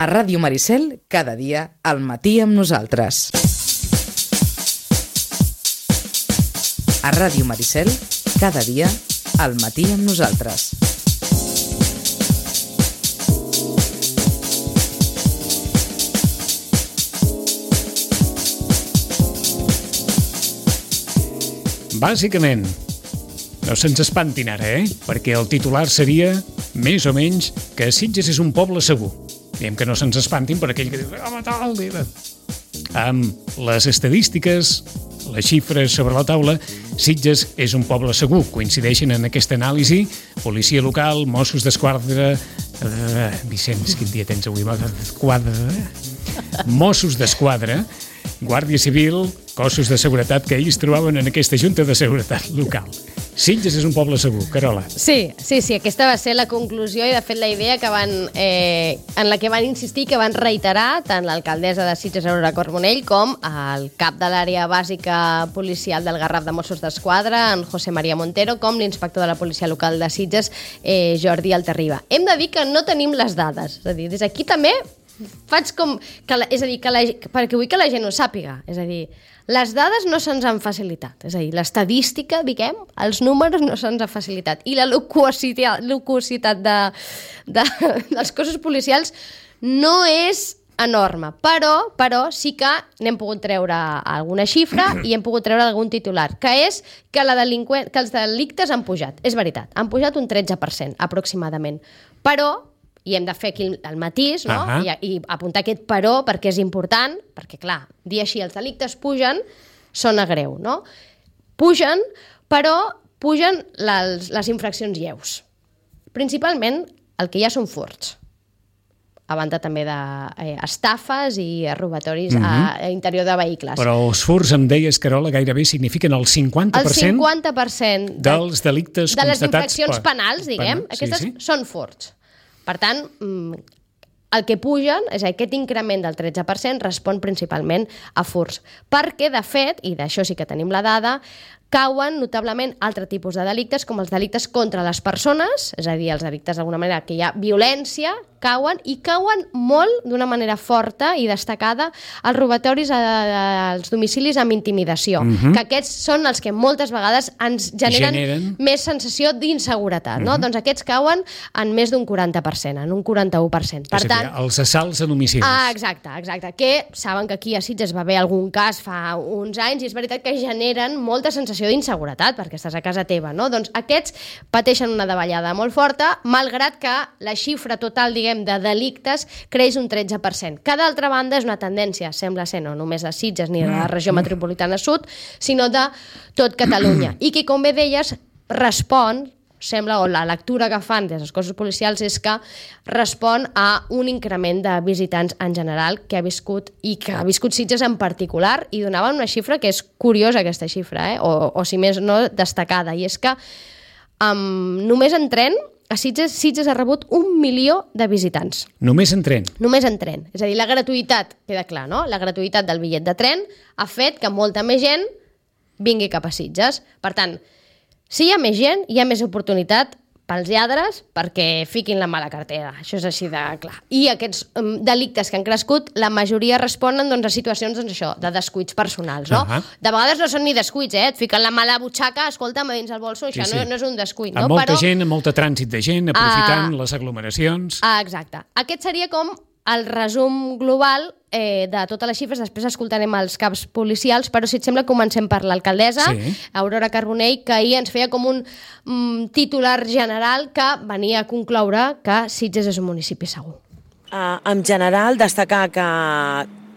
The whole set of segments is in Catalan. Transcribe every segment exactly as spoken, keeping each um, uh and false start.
A Ràdio Maricel, cada dia, al matí amb nosaltres. A Ràdio Maricel, cada dia, al matí amb nosaltres. Bàsicament, no se'ns espantin ara, eh? Perquè el titular seria, més o menys, que Sitges és un poble segur. Diem que no se'ns espantin per aquell que diu, home, tal, diu. Amb les estadístiques, les xifres sobre la taula, Sitges és un poble segur. Coincideixen en aquesta anàlisi policia local, Mossos d'Esquadra... Uh, Vicenç, quin dia tens avui? Quadra... Mossos d'Esquadra, Guàrdia Civil, cossos de seguretat que ells trobaven en aquesta Junta de Seguretat Local. Sitges és un poble segur, Carola. Sí, sí, sí, aquesta va ser la conclusió i de fet la idea que van, eh, en la que van insistir, que van reiterar tant l'alcaldessa de Sitges, Aurora Carbonell, com el cap de l'àrea bàsica policial del Garraf de Mossos d'Esquadra, en José María Montero, com l'inspector de la policia local de Sitges, eh, Jordi Altarriba. Hem de dir que no tenim les dades, és a dir, des d'aquí també faig com... Que la, és a dir, que la, perquè vull que la gent ho sàpiga. És a dir, les dades no se'ns han facilitat. És a dir, l'estadística, diguem, els números no se'ns han facilitat. I la loquacitat, loquacitat de, de, dels cossos policials no és enorme. Però, però sí que n'hem pogut treure alguna xifra i hem pogut treure algun titular, que és que, la delinqüent, que els delictes han pujat. És veritat, han pujat un tretze per cent aproximadament. Però... i hem de fer aquí el matís, no? Uh-huh. I, i apuntar aquest però perquè és important, perquè, clar, dir així els delictes pugen, sona greu, no? Pugen, però pugen les, les infraccions lleus. Principalment el que hi ha són furts, a banda també d'estafes eh, i robatoris uh-huh. a, a interior de vehicles. Però els furts, em deies, Carola, gairebé signifiquen el cinquanta per cent, el cinquanta per cent de, dels delictes de les constatats... infraccions penals, diguem, penal, aquestes sí, sí. són furts. Per tant, el que pugen, és aquest increment del tretze per cent, respon principalment a furts. Perquè, de fet, i d'això sí que tenim la dada, cauen notablement altres tipus de delictes, com els delictes contra les persones, és a dir, els delictes d'alguna manera que hi ha violència, cauen, i cauen molt, d'una manera forta i destacada, els robatoris als domicilis amb intimidació, uh-huh. que aquests són els que moltes vegades ens generen, generen... més sensació d'inseguretat, uh-huh. no? Doncs aquests cauen en més d'un quaranta per cent, en un quaranta-u per cent. Per és tant, a dir, els assalts a domicilis. Ah, exacte, exacte, que saben que aquí a Sitges va haver algun cas fa uns anys i és veritat que generen molta sensació d'inseguretat perquè estàs a casa teva, no? Doncs aquests pateixen una davallada molt forta, malgrat que la xifra total, diguem, de delictes creix un tretze per cent. Que d'altra banda és una tendència, sembla ser, no només de Sitges ni de la regió metropolitana sud, sinó de tot Catalunya. I que, com bé deies, respon, sembla, o la lectura que fan des dels cossos policials és que respon a un increment de visitants en general que ha viscut, i que ha viscut Sitges en particular, i donaven una xifra que és curiosa, aquesta xifra, eh? o, o si més no, destacada, i és que um, només en tren a Sitges, Sitges ha rebut un milió de visitants. Només en tren? Només en tren. És a dir, la gratuïtat, queda clar, no? La gratuïtat del bitllet de tren ha fet que molta més gent vingui cap a Sitges. Per tant, si hi ha més gent, hi ha més oportunitat pels lladres perquè fiquin la mala cartera. Això és així de clar. I aquests um, delictes que han crescut, la majoria responen doncs, a situacions doncs, això, de descuits personals. No? Uh-huh. De vegades no són ni descuits, eh? Et fiquen la mala butxaca, escolta'm, a dins el bolso, això sí, sí. No, no és un descuit. Amb no? molta Però... gent, amb molta trànsit de gent, aprofitant uh... les aglomeracions... Ah, exacte. Aquest seria com el resum global eh, de totes les xifres. Després escoltarem els caps policials, però si et sembla comencem per l'alcaldessa, sí. Aurora Carbonell, que ahir ens feia com un mm, titular general que venia a concloure que Sitges és un municipi segur. Uh, en general, destacar que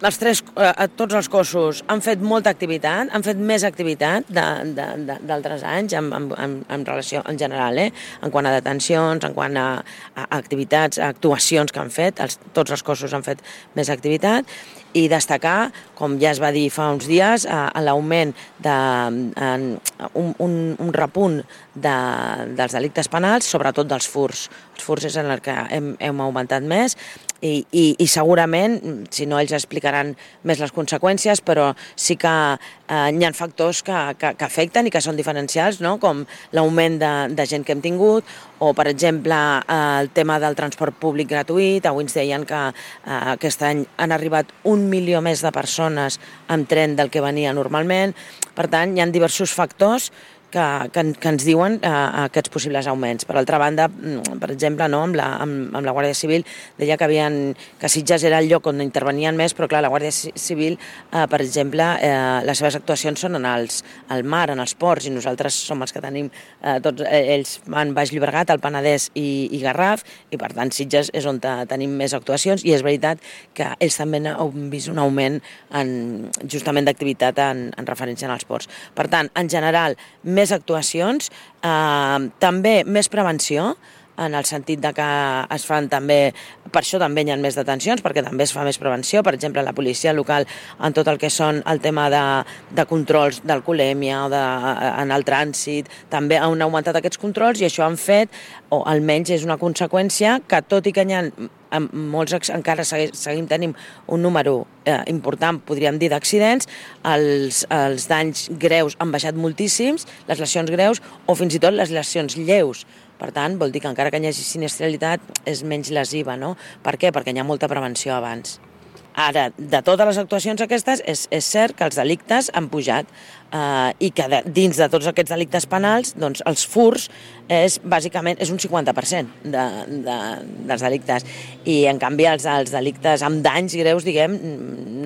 els tres, uh, tots els cossos han fet molta activitat, han fet més activitat d'altres anys en, en, en, en relació en general, eh? En quant a detencions, en quant a, a activitats, a actuacions que han fet, els, tots els cossos han fet més activitat, i destacar, com ja es va dir fa uns dies, a l'augment de en, un, un, un repunt de, dels delictes penals, sobretot dels furts. Els furts és en el que hem, hem augmentat més, I, i, i segurament, si no ells explicaran més les conseqüències, però sí que eh, hi ha factors que, que, que afecten i que són diferencials, no? Com l'augment de, de gent que hem tingut, o, per exemple, eh, el tema del transport públic gratuït. Avui ens deien que eh, aquest any han arribat un milió més de persones amb tren del que venia normalment. Per tant, hi ha diversos factors que, que, que ens diuen eh, aquests possibles augments. Per altra banda, per exemple, no, amb, la, amb, amb la Guàrdia Civil deia que, havien, que Sitges era el lloc on intervenien més, però clar, la Guàrdia Civil, eh, per exemple, eh, les seves actuacions són en els, al mar, en els ports, i nosaltres som els que tenim, eh, tots ells van Baix Llobregat, el Penedès i, i Garraf, i per tant Sitges és on tenim més actuacions, i és veritat que ells també han vist un augment en, justament d'activitat en, en referència als ports. Per tant, en general, més actuacions, eh, també més prevenció, en el sentit de que es fan també, per això també hi ha més detencions, perquè també es fa més prevenció, per exemple, la policia local en tot el que són el tema de, de controls d'alcoholèmia o de, en el trànsit, també han augmentat aquests controls i això han fet, o almenys és una conseqüència, que tot i que hi ha molts, encara seguim tenim un número eh, important, podríem dir, d'accidents, els, els danys greus han baixat moltíssims, les lesions greus o fins i tot les lesions lleus. Per tant, vol dir que encara que hi hagi sinistralitat és menys lesiva, no? Per què? Perquè hi ha molta prevenció abans. Ara, de totes les actuacions aquestes, és, és cert que els delictes han pujat eh, i que de, dins de tots aquests delictes penals, doncs els furs és bàsicament és un cinquanta per cent de, de, dels delictes. I en canvi els, els delictes amb danys greus, diguem,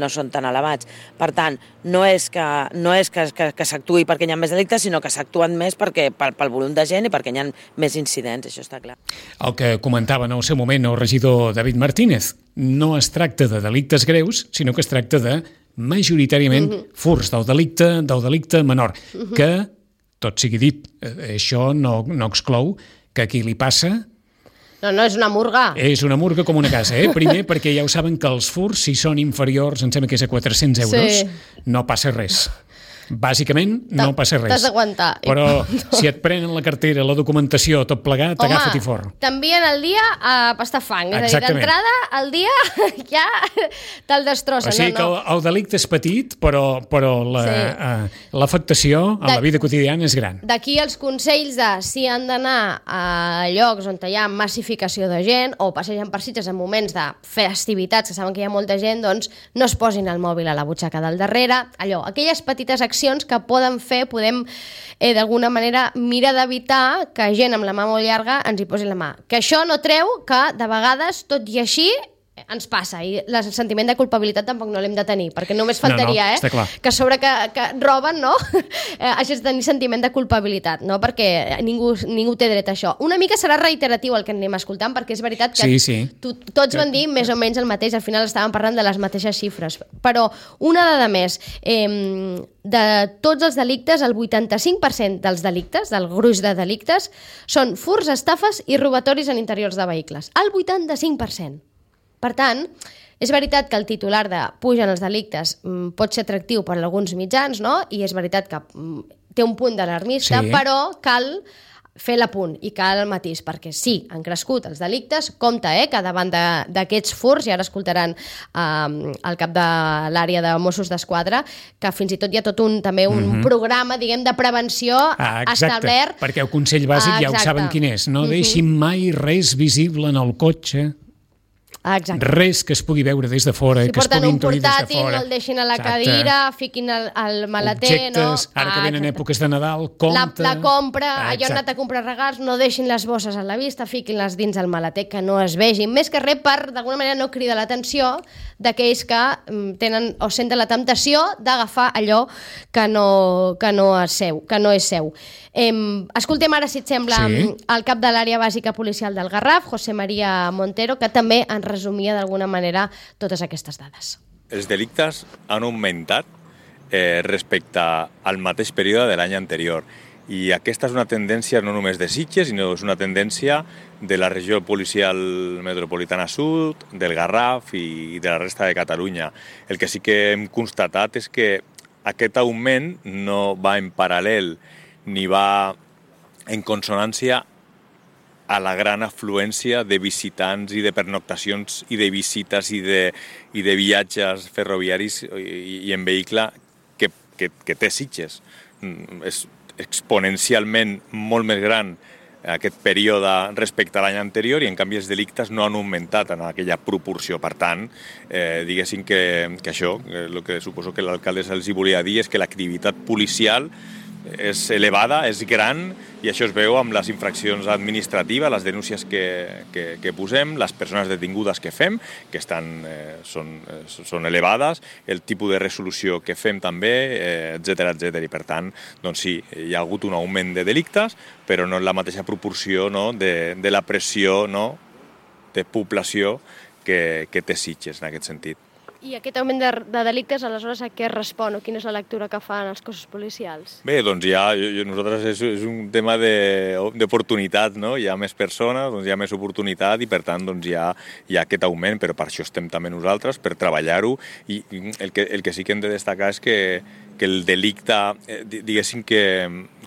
no són tan elevats. Per tant, no és que, no és que, que, que s'actuï perquè hi ha més delictes, sinó que s'actuen més perquè, pel, pel volum de gent i perquè hi ha més incidents, això està clar. El que comentava en el seu moment el regidor David Martínez, no es tracta de delictes greus, sinó que es tracta de majoritàriament uh-huh. furs del delicte, del delicte menor, uh-huh. que, tot sigui dit, això no, no exclou que a qui li passa... No, no, és una murga. És una murga com una casa, eh? Primer, perquè ja ho saben que els furs, si són inferiors, em sembla que és a quatre-cents euros, sí. no passa res. Bàsicament, no passa res. T'has d'aguantar. Però no. Si et prenen la cartera, la documentació, tot plegat, agafa't i fort. T'envien el dia a pastar fang. És a dir, d'entrada, el dia ja te'l destrossen. O sigui no, no. que el, el delicte és petit, però, però la, sí. uh, l'afectació en de, la vida quotidiana és gran. D'aquí els consells de si han d'anar a llocs on hi ha massificació de gent o passegen per Sitges en moments de festivitats que saben que hi ha molta gent, doncs no es posin el mòbil a la butxaca del darrere. Allò, aquelles petites accions que poden fer, podem eh, d'alguna manera mirar d'evitar que gent amb la mà molt llarga ens hi posi la mà. Que això no treu que de vegades, tot i així, ens passa, i el sentiment de culpabilitat tampoc no l'hem de tenir, perquè només faltaria, no, no, eh? Que a sobre que, que roben, no? Hagis de tenir sentiment de culpabilitat, no? Perquè ningú, ningú té dret a això. Una mica serà reiteratiu el que anem escoltant, perquè és veritat que sí, sí. To, tots van dir més o menys el mateix, al final estàvem parlant de les mateixes xifres, però una dada més, eh, de tots els delictes, el vuitanta-cinc per cent dels delictes, del gruix de delictes, són furs, estafes i robatoris en interiors de vehicles. El vuitanta-cinc per cent. Per tant, és veritat que el titular de pugen els delictes pot ser atractiu per a alguns mitjans, no? I és veritat que té un punt d'alarmista, sí. Però cal fer l'apunt i cal el matís, perquè sí, han crescut els delictes, compte, eh, que davant d'aquests furs, i ara escoltaran eh, el cap de l'àrea de Mossos d'Esquadra, que fins i tot hi ha tot un, també un mm-hmm. programa, diguem, de prevenció ah, establert. Perquè el consell bàsic ah, ja ho saben quin és, no mm-hmm. deixin mai res visible en el cotxe. Exacte. Res que es pugui veure des de fora, si que es pugui intuir des de fora. Si porten un portàtil, no el deixin a la Exacte. Cadira, fiquin el, el maleter, objectes, no? Ara que venen Exacte. Èpoques de Nadal, compte... La, la compra, ah, allò han anat a comprar regals, no deixin les bosses a la vista, fiquin-les dins el maleter, que no es vegin. Més que res per, d'alguna manera, no cridar l'atenció d'aquells que tenen o senten la temptació d'agafar allò que no, que no és seu. Que no és seu. Eh, escoltem ara, si et sembla, sí. el cap de l'àrea bàsica policial del Garraf, José María Montero, que també ens resumia d'alguna manera totes aquestes dades. Els delictes han augmentat eh, respecte al mateix període de l'any anterior. I aquesta és una tendència no només de Sitges, sinó és una tendència de la regió policial metropolitana sud, del Garraf i de la resta de Catalunya. El que sí que hem constatat és que aquest augment no va en paral·lel ni va en consonància a la gran afluència de visitants i de pernoctacions i de visites i de, i de viatges ferroviaris i, i en vehicle que, que, que té Sitges. És exponencialment molt més gran aquest període respecte a l'any anterior i en canvi els delictes no han augmentat en aquella proporció. Per tant, eh, diguéssim que, que això, el que suposo que l'alcalde els hi volia dir és que l'activitat policial és elevada, és gran, i això es veu amb les infraccions administratives, les denúncies que, que, que posem, les persones detingudes que fem, que estan, eh, són, eh, són elevades, el tipus de resolució que fem també, eh, etcètera, etcètera. I per tant, doncs sí, hi ha hagut un augment de delictes, però no en la mateixa proporció, no, de, de la pressió, no, de població que, que té Sitges en aquest sentit. I aquest augment de, de delictes, aleshores, a què respon o quina és la lectura que fan els cossos policials? Bé, doncs ja, jo, nosaltres és, és un tema d'oportunitat, no? Hi ha més persones, doncs hi ha més oportunitat i per tant doncs hi ha, hi ha aquest augment, però per això estem també nosaltres, per treballar-ho, i el que, el que sí que hem de destacar és que, que el delicte, eh, diguéssim que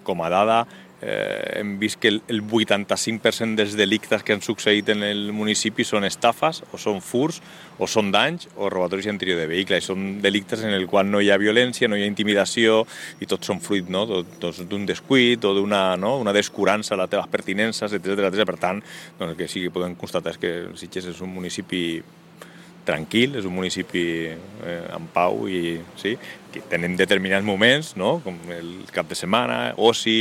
com a dada, Eh, hem vist que el vuitanta-cinc per cent dels delictes que han succeït en el municipi són estafes, o són furts, o són danys, o robatoris interior de vehicle. I són delictes en el qual no hi ha violència, no hi ha intimidació, i tots són fruit, no, d'un descuit o d'una, no, una descurança a les teves pertinences, etcètera, etcètera. Per tant, doncs, el que sí que podem constatar és que Sitges és un municipi tranquil, és un municipi eh, en pau i sí, que tenim determinats moments, no? Com el cap de setmana, oci,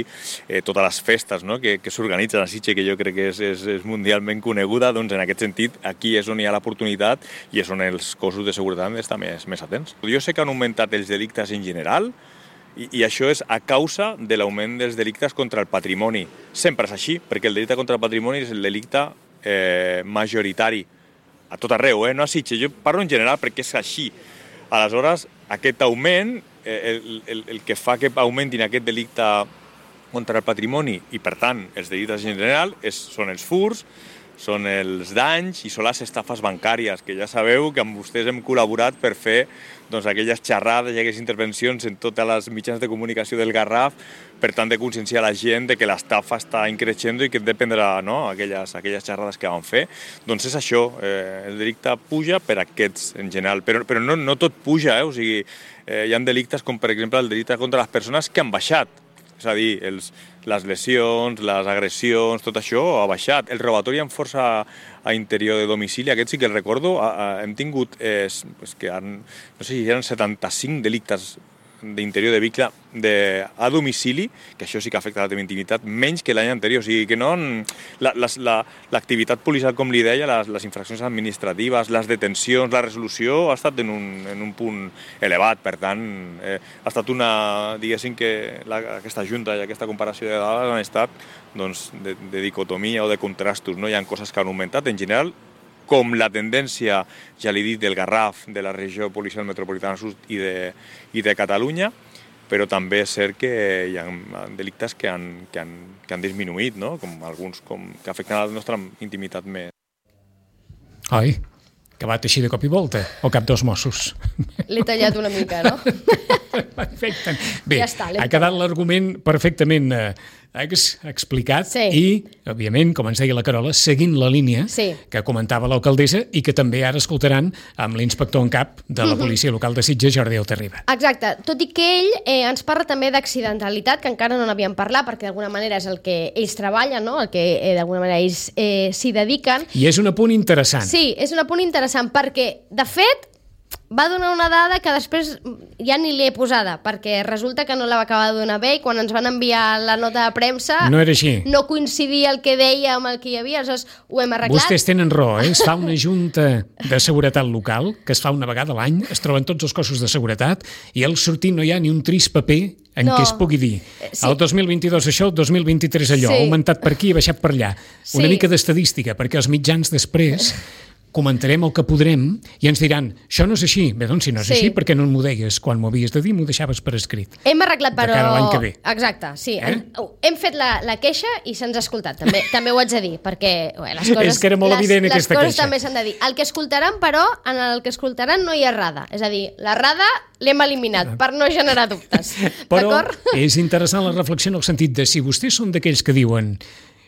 eh, totes les festes, no? que, que s'organitzen a Sitges, que jo crec que és, és, és mundialment coneguda, doncs en aquest sentit aquí és on hi ha l'oportunitat i és on els cossos de seguretat han d'estar més, més atents. Jo sé que han augmentat els delictes en general i, i això és a causa de l'augment dels delictes contra el patrimoni. Sempre és així, perquè el delicte contra el patrimoni és el delicte eh, majoritari a tot arreu, eh? No a Sitges, jo parlo en general perquè és així. Aleshores, aquest augment, eh, el, el, el que fa que augmentin aquest delicte contra el patrimoni i, per tant, els delictes en general és, són els furts, són els danys i són les estafes bancàries, que ja sabeu que amb vostès hem col·laborat per fer doncs, aquelles xerrades i aquelles intervencions en totes les mitjans de comunicació del Garraf, per tant de conscienciar la gent de que l'estafa està increixent i que hem de prendre, no, aquelles, aquelles xerrades que vam fer. Doncs és això, eh, el delicte puja per aquests en general, però, però no, no tot puja, eh? O sigui, eh, hi ha delictes com per exemple el delicte contra les persones que han baixat. És a dir, els, les lesions, les agressions, tot això ha baixat. El robatori amb força a interior de domicili, aquest sí que el recordo, a, a, hem tingut, eh, és que han, no sé si eren setanta-cinc delictes d'interior de vehicle de, a domicili, que això sí que afecta la teva intimitat, menys que l'any anterior. O sigui que no, l'activitat la, policial, com li deia, les, les infraccions administratives, les detencions, la resolució, ha estat en un, en un punt elevat. Per tant, eh, ha estat una, diguéssim que la, aquesta junta i aquesta comparació de dades han estat doncs, de, de dicotomia o de contrastos. No? Hi ha coses que han augmentat en general, com la tendència, ja l'he dit, del Garraf, de la regió policial metropolitana sud i de, i de Catalunya, però també és cert que hi ha delictes que han, que han, que han disminuït, no? Com alguns com, que afecten a la nostra intimitat més. Ai, que va així de cop i volta, o cap dels Mossos. L'he tallat una mica, no? Perfecte. Bé, ja està, ha quedat l'argument perfectament eh, explicat sí. I, òbviament, com ens deia la Carola, seguint la línia sí. que comentava l'alcaldessa i que també ara escoltaran amb l'inspector en cap de la policia local de Sitges, Jordi Altarriba. Exacte, tot i que ell eh, ens parla també d'accidentalitat, que encara no n'havíem parlat, perquè d'alguna manera és el que ells treballen, no? El que eh, d'alguna manera ells eh, s'hi dediquen. I és un apunt interessant. Sí, és un apunt interessant, perquè, de fet, va donar una dada que després ja ni l'he posada, perquè resulta que no la va acabar de donar bé i quan ens van enviar la nota de premsa no era així. No coincidia el que deia amb el que hi havia, aleshores ho hem arreglat. Vostès tenen raó, eh? Es fa una junta de seguretat local, que es fa una vegada a l'any, es troben tots els cossos de seguretat i al sortir no hi ha ni un trist paper en no. què es pugui dir. Sí. El dos mil vint-i-dos això, el dos mil vint-i-tres allò, sí. Ha augmentat per aquí i ha baixat per allà. Sí. Una mica d'estadística, perquè els mitjans després comentarem el que podrem i ens diran, això no és així. Bé, doncs si no és sí. així, perquè no m'ho deies quan m'ho havies de dir, m'ho deixaves per escrit. Hem arreglat, però... De cara a l'any que ve. Exacte, sí. Eh? Hem, hem fet la, la queixa i se'ns ha escoltat. També, també ho haig de dir, perquè bé, les coses... És que era molt les, evident les aquesta coses queixa. també s'han de dir. El que escoltaran, però, en el que escoltaran no hi ha rada. És a dir, la rada l'hem eliminat per no generar dubtes. Però és interessant la reflexió en el sentit de si vostès són d'aquells que diuen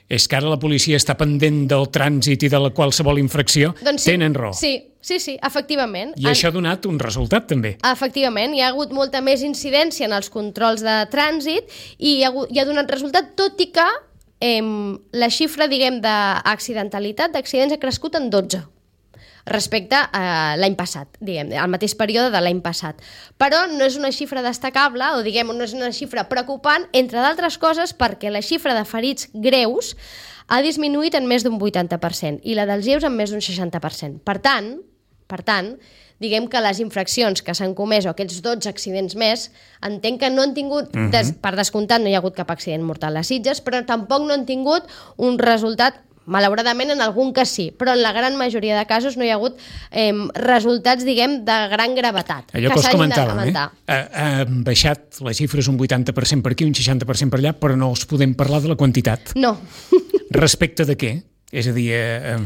és que ara la policia està pendent del trànsit i de la qualsevol infracció, doncs sí, tenen raó. Sí, sí, sí, efectivament. I això ha donat un resultat, també. Efectivament, hi ha hagut molta més incidència en els controls de trànsit i hi ha, hagut, hi ha donat resultat, tot i que eh, la xifra, diguem, d'accidentalitat, d'accidents ha crescut en dotze respecte a l'any passat, diguem, al mateix període de l'any passat. Però no és una xifra destacable, o diguem, no és una xifra preocupant, entre d'altres coses perquè la xifra de ferits greus ha disminuït en més d'un vuitanta per cent i la dels lleus en més d'un seixanta per cent. Per tant, per tant, diguem que les infraccions que s'han comès, o aquests dotze accidents més, entenc que no han tingut, uh-huh. des, per descomptat no hi ha hagut cap accident mortal a Sitges, però tampoc no han tingut un resultat, malauradament en algun cas sí, però en la gran majoria de casos no hi ha hagut eh, resultats, diguem, de gran gravetat. Allò que, que us comentàvem, eh? Ha, ha baixat les xifres un vuitanta per cent per aquí, un seixanta per cent per allà, però no us podem parlar de la quantitat. No. Respecte de què? És a dir... Eh,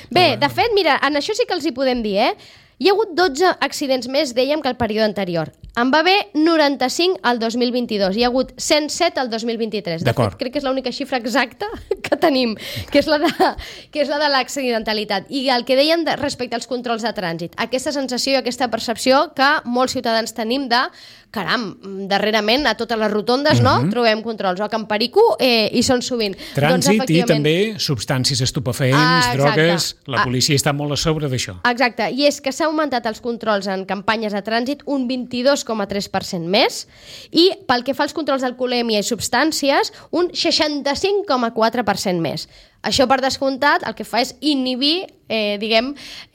Bé, de fet, mira, en això sí que els hi podem dir, eh? Hi ha hagut dotze accidents més, dèiem, que el període anterior. En va haver noranta-cinc al dos mil vint-i-dos, hi ha hagut cent set al dos mil vint-i-tres. De fet, crec que és l'única xifra exacta que tenim, que és la de, que és la de l'accidentalitat. I el que dèiem de, respecte als controls de trànsit, aquesta sensació i aquesta percepció que molts ciutadans tenim de caram, darrerament a totes les rotondes, no? Uh-huh. Trobem controls, o a Can Perico eh, hi són sovint. Trànsit doncs, efectivament... i també substàncies estupefaents, ah, drogues, la policia ah. està molt a sobre d'això. Exacte, i és que s'ha augmentat els controls en campanyes de trànsit un vint-i-dos coma tres per cent més i pel que fa als controls d'alcoholèmia i substàncies un seixanta-cinc coma quatre per cent més. Això, per descomptat, el que fa és inhibir, eh, diguem,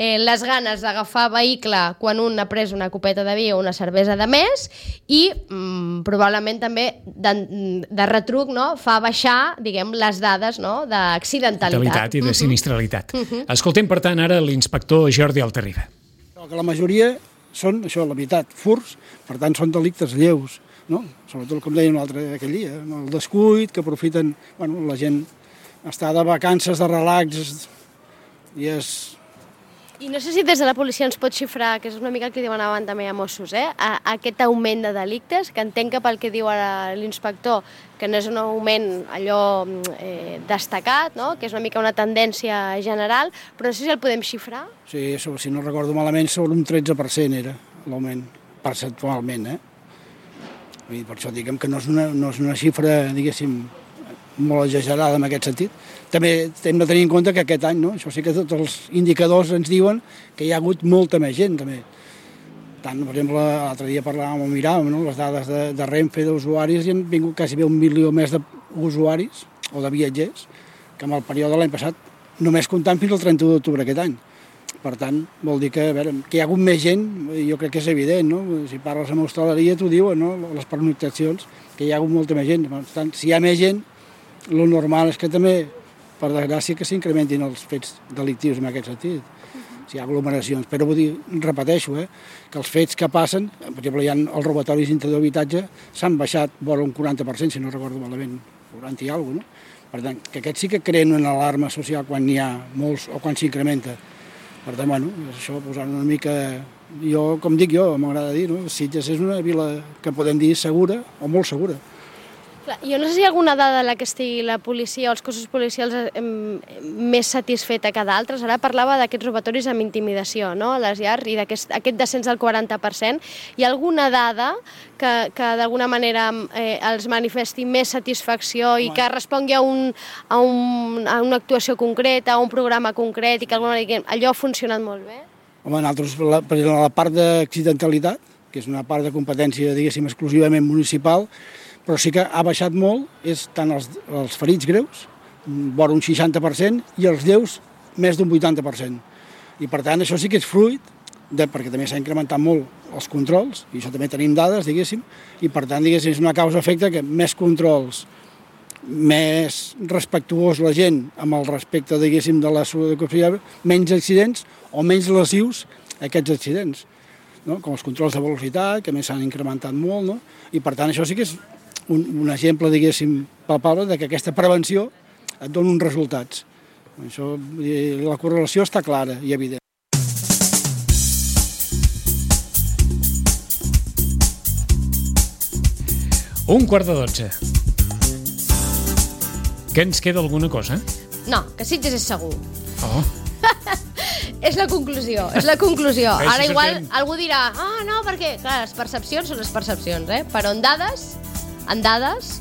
eh, les ganes d'agafar vehicle quan un ha pres una copeta de vi o una cervesa de més i mm, probablement també de, de retruc, no?, fa baixar, diguem, les dades, no?, d'accidentalitat. I de sinistralitat. Uh-huh. Escoltem, per tant, ara l'inspector Jordi Altarriba. Que la majoria són, això, la meitat, furts, per tant són delictes lleus, no? Sobretot, com deia un altre aquell dia, no? El descuit, que aprofiten, bueno, la gent està de vacances, de relax, i és... I no sé si des de la policia ens pot xifrar, que és una mica el que diuen abans també a Mossos, eh? a, a aquest augment de delictes, que entenc que pel que diu ara l'inspector, que no és un augment allò eh, destacat, no? Que és una mica una tendència general, però no sé si el podem xifrar. Sí, sobre, si no recordo malament, sobre un tretze per cent era l'augment, percentualment, eh? I per això diguem que no és una, no és una xifra, diguéssim, molt exagerada en aquest sentit. També hem de tenir en compte que aquest any, no? Això sí que tots els indicadors ens diuen que hi ha hagut molta més gent, també. Tant, per exemple, l'altre dia parlàvem o miràvem, no?, les dades de, de Renfe d'usuaris i han vingut quasi bé un milió més d'usuaris o de viatgers que en el període de l'any passat, només comptant fins al trenta-u d'octubre aquest any. Per tant, vol dir que, a veure, que hi ha hagut més gent, jo crec que és evident, no? Si parles amb hostaleria t'ho diuen, no?, les pernoctacions, que hi ha hagut molta més gent. Per tant, si hi ha més gent, el normal és que també, per desgràcia, que s'incrementin els fets delictius en aquest sentit. Uh-huh. Si hi ha aglomeracions. Però vull dir, repeteixo, eh, que els fets que passen, per exemple, hi ha els robatoris dintre d'habitatge, s'han baixat vora un quaranta per cent, si no recordo malament, quaranta i alguna cosa, no? Per tant, que aquests sí que creen una alarma social quan n'hi ha molts o quan s'incrementa. Per tant, bueno, això posant una mica... Jo, com dic jo, m'agrada dir, no? Sitges és una vila que podem dir segura o molt segura. Jo no sé si hi ha alguna dada en la que estigui la policia o els cossos policials eh, més satisfeta que d'altres. Ara parlava d'aquests robatoris amb intimidació, no?, a les llars, i d'aquest aquest descens del quaranta per cent. Hi ha alguna dada que, que d'alguna manera eh, els manifesti més satisfacció i que respongui a, un, a, un, a una actuació concreta, a un programa concret, i que d'alguna manera allò ha funcionat molt bé? Home, nosaltres, la, per exemple, la part d'accidentalitat, que és una part de competència, diguéssim, exclusivament municipal, però sí que ha baixat molt, és tant els, els ferits greus, vora un seixanta per cent, i els lleus més d'un vuitanta per cent. I per tant això sí que és fruit, de, perquè també s'ha incrementat molt els controls, i això també tenim dades, diguéssim, i per tant, diguéssim, és una causa-efecte que més controls, més respectuós la gent amb el respecte, diguéssim, de la salut, menys accidents o menys lesius aquests accidents, no? Com els controls de velocitat, que més s'han incrementat molt, no? I per tant això sí que és un, un exemple, diguéssim, palpable de que aquesta prevenció et dona uns resultats. Això, la correlació està clara i evident. Un quart de dotze. Que ens queda alguna cosa? No, que Sitges és segur. Oh, És la conclusió, és la conclusió. Bé, Ara si igual sortim- algú dirà, ah, no, perquè, clar, les percepcions són les percepcions, eh? Però en dades, en dades,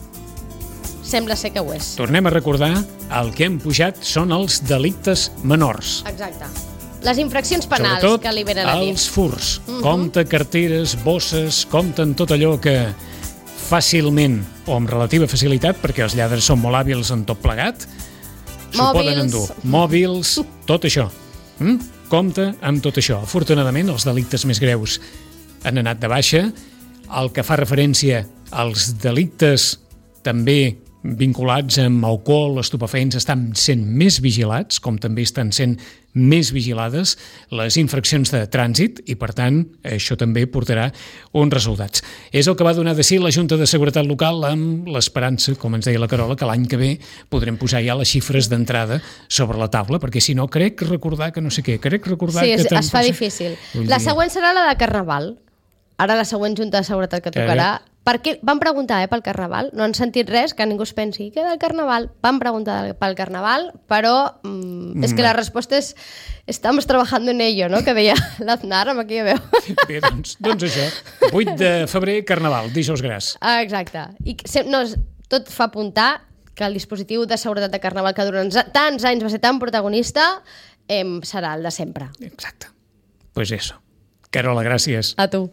sembla ser que ho és. tornem a recordar, el que hem pujat són els delictes menors. Exacte. Les infraccions penals Sobretot que li venen a dir. els furs. Uh -huh. Compte carteres, bosses, compten tot allò que fàcilment, o amb relativa facilitat, perquè els lladres són molt hàbils en tot plegat, s'ho Mòbils. poden endur. Mòbils, tot això. Mm? Compte amb tot això. Afortunadament, els delictes més greus han anat de baixa. El que fa referència als delictes també vinculats amb alcohol, estupefaents, estan sent més vigilats, com també estan sent més vigilades les infraccions de trànsit i, per tant, això també portarà uns resultats. És el que va donar de si la Junta de Seguretat Local amb l'esperança, com ens deia la Carola, que l'any que ve podrem posar ja les xifres d'entrada sobre la taula, perquè si no, crec recordar que no sé què, crec recordar Sí, que... es, tant es fa pot ser. difícil. Vull La dir- següent serà la de Carnaval. Ara la següent Junta de Seguretat que tocarà. Per què? Van preguntar, eh, pel Carnaval. No han sentit res, que ningú es pensi que del Carnaval. Van preguntar pel Carnaval, però mm, és que la resposta és estamos trabajando en ello, no? Que deia l'Aznar amb aquella veu. Bé, doncs, doncs això. vuit de febrer, Carnaval, dijous gras. Ah, exacte. I que se- no, tot fa apuntar que el dispositiu de seguretat de Carnaval, que durant za- tants anys va ser tan protagonista, eh, serà el de sempre. Exacte. Pues eso. Carola, gràcies. A tu.